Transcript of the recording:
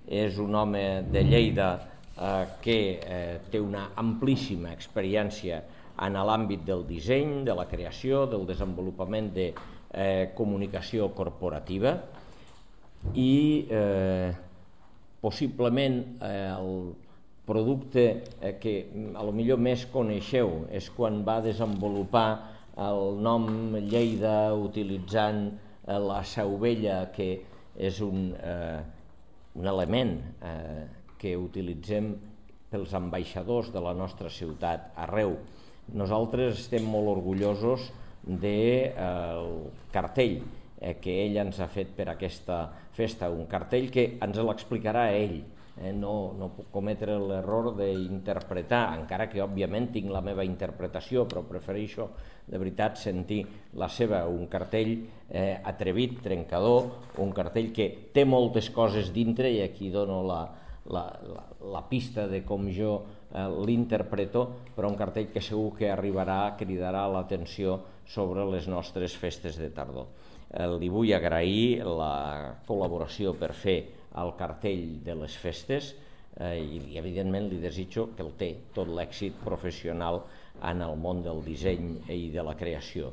és un home de Lleida que té una amplíssima experiència en l'àmbit del disseny, de la creació, del desenvolupament de comunicació corporativa i possiblement el producte que potser més coneixeu és quan va desenvolupar el nom Lleida utilitzant la seu vella, que és un element que utilitzem pels ambaixadors de la nostra ciutat arreu. Nosaltres estem molt orgullosos del cartell que ell ens ha fet per aquesta festa, un cartell que ens l'explicarà ell. No puc cometre l'error d'interpretar, encara que òbviament tinc la meva interpretació, però prefereixo de veritat sentir la seva. Un cartell atrevit, trencador, un cartell que té moltes coses dintre, i aquí dono la pista de com jo l'interpreto, però un cartell que segur que cridarà l'atenció sobre les nostres festes de tardor. Li vull agrair la col·laboració per fer el cartell de les festes i evidentment li desitjo que el té tot l'èxit professional en el món del disseny i de la creació.